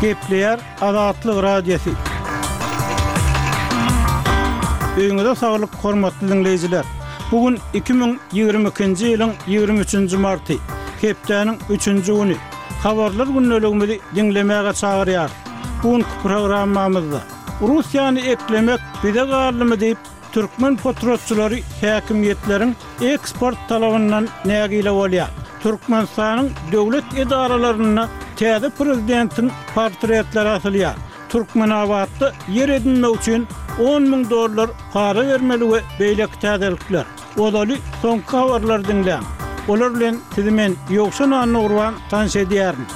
Gepleýär Azatlyk Radiosy. Öýüňize saglyk, hormatly diňleýjiler! Bu gün 2022-nji ýylyň 23-nji marty, hepdäniň üçünji güni. Habarlar gündeligimizi diňlemäge çagyrýarys. Bu günki programmamyzda, Russiýany eklemek bize galdymy diýip, Türkmen potratçylary häkimiýetleriň eksport talabyndan nägile bolýar. Türkmenistanyň döwlet edaralarynda täze prezidentiň portretleri asylýar. Türkmenabatda ýer edinmek üçin 10 müň dollar para bermeli we beýleki täzelikler. Ozaly soňky habarlary diňläň. Olar bilen sizi men, Ýowşan Annagurban tanyş edýärin.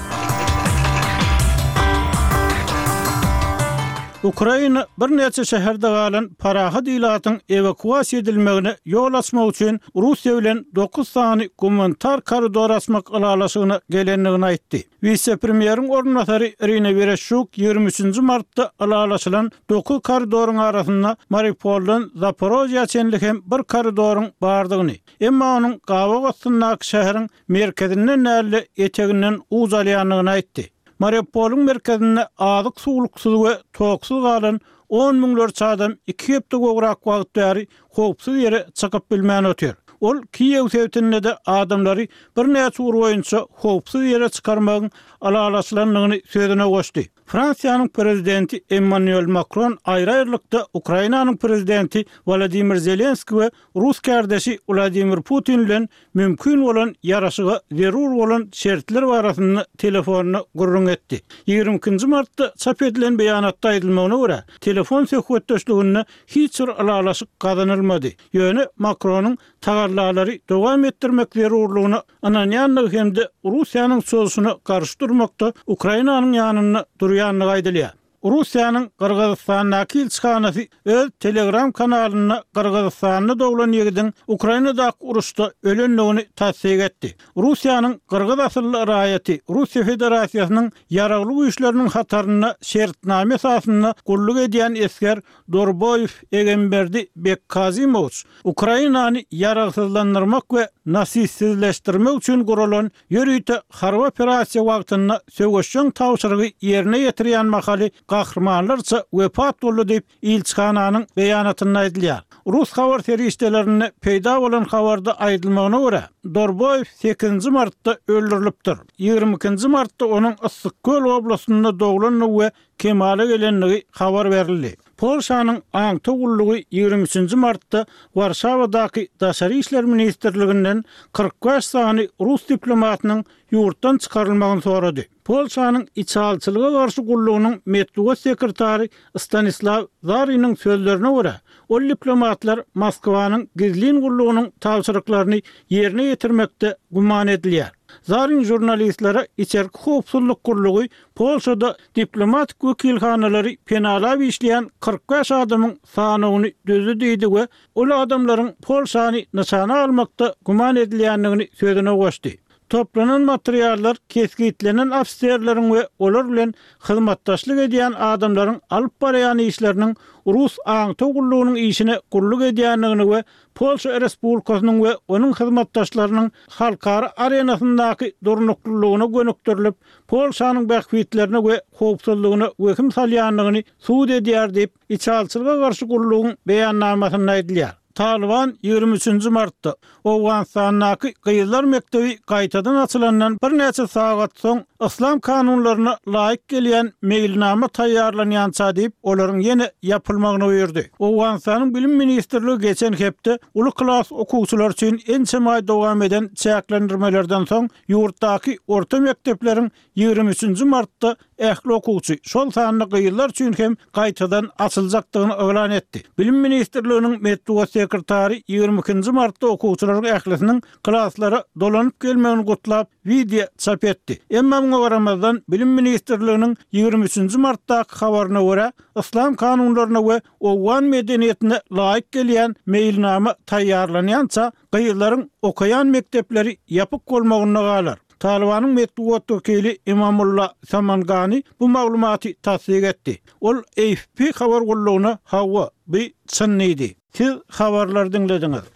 Ukraina birnäçe şäherde galan parahat ilatyň ewakuasiýa edilmegine ýol açmak üçin Russiýa bilen dokuz sany gumanitar koridor açmak ylalaşygyna gelendigini aýtdy. Wise-premýeriň orunbasary Irina Wereşçuk 23 nji martda ylalaşylan dokuz koridoryň arasynda Mariupoldan Zaporožýa çenli hem bir koridoryň bardygyny, emma onuň gabaw astyndaky şäheriň merkezinden däl-de, eteginden uç alýandygyny aýtdy. Mariupolyň merkezinde azyk-suwluksyz we toksuz galan on müňlerçe adam iki hepde gowrak wagt bäri howpsuz ýere çykyp bilmän otyr. Ol Kiýew sebitinde-de adamlary birnäçe ugur boýunça howpsuz ýere çykarmagyň ylalaşylandygyny sözüne goşdy. Fransiýanyň prezidenti Emmanuel Makron aýry-aýrylykda Ukrainanyň prezidenti Wolodymyr Zelenskiý we rus kärdeşi Wladimir Putin bilen mümkin bolan ýaraşyga zerur bolan şertler barasynda telefonda gürrüň etdi. 22 nji martda çap edilen beýanatda aýdylmagyna görä, telefon söhbetdeşliginde hiç bir ylalaşyk gazanylmady, ýöne Makronyň tagallalary dowam etdirmek zerurlygyna ynanýandygy hem-de Russiýanyň çozuşyna garşy durmakda Ukrainanyň ýanynda durýandygy aýdylýar. Russiýanyň Gyrgyzystandaky ilçihanasy öz Telegram kanalynda Gyrgyzystanda doglan ýigidiň Ukrainadaky uruşda ölendigini tassyk etdi. Russiýanyň gyrgyz asylly raýaty Russiýa Federasiýasynyň Ýaragly Güýçleriniň hatarynda şertnama esasynda gulluk edýän esger Dorboýew Egemberdi Bekkazimowiç Ukrainany ýaragsyzlandyrmak we nasistsizleşdirmek üçin guralan Ýörite harby operasiýa wagtynda söweşjeň tabşyrygy ýerine ýetirýän mahaly gahrymanlarça wepat boldy diýip, ilçihananyň beýanatynda aýdylýar. Rus habar serişdelerinde peýda bolan habarda aýdylmagyna görä, Dorboýew sekizinji martda öldürilipdir. 22 nji martda onuň Yssyk-Köl oblastynda doglandygy we kemala gelendigi habar berildi. Polşanyň aňtaw gullugy 23 nji martda Warşawadaky Daşary işler ministrliginden 45 sany rus diplomatynyň ýurtdan çykarylmagyny sorady. Polşanyň içalyçylyga garşy gullugynyň metbugat sekretary Stanislaw Zariniň sözlerine görä, ol diplomatlar Moskwanyň gizlin gullugynyň tabşyryklaryny ýerine ýetirmekde güman edilýär. Zarin žurnalistlere içerki howpsuzlyk gullugy Polşada diplomatik wekilhanalary penalap işleýän 45 adamyň sanawyny düzdi diýdi we ol adamlaryň Polşany nyşana almakda güman edilýändigini sözüne goşdy. Toplanan materiallar kesgitlenen ofiserleriň we olar bilen hyzmatdaşlyk edýän adamlaryň alyp barýan işleriniň rus aňtaw gullugynyň işine gulluk edýändigini we Polşa Respublikasynyň we onuň hyzmatdaşlarynyň halkara arenasyndaky durnuklylygyna gönükdirilip, Polşanyň bähbitlerine we howpsuzlygyna wehim salýandygyny subut edýär diýip, Içalyçylyga garşy gullugyň beýannamasynda aýdylýar. Talyban 23 nji martda, Owganystandaky gyzlar mekdebi gaýtadan açylandan birnäçe sagat soň, yslam kanunlaryna laýyk gelýän meýilnama taýýarlanýança diýip, olaryň ýene ýapylmagyny buýurdy. Owganystanyň Bilim ministrligi geçen hepde uly klas okuwçylary üçin ençeme aý dowam eden çäklendirmelerden soň ýurtdaky orta mekdepleriň 23 nji martda ähli okuwçy, şol sanda gyzlar üçin hem gaýtadan açyljakdygyny yglan etdi. Bilim ministrliginiň metbugat sekretary 22 nji martda okuwçylaryň ählisiniň klaslara dolanyp gelmegini gutlap, wideo çap etdi. Emma muňa garamazdan, Bilim ministrliginiň 23 nji martdaky habaryna görä, yslam kanunlaryna we owgan medeniýetine laýyk gelýän meýilnama taýýarlanýança, gyzlaryň okaýan mekdepleri ýapyk bolmagynda galar. Talybanyň metbugat wekili Imamulla Samangani bu maglumaty tassyk etdi. Ol AFP habar gullugyna hawa, bu çyn diýdi. Siz habarlary diňlediňiz.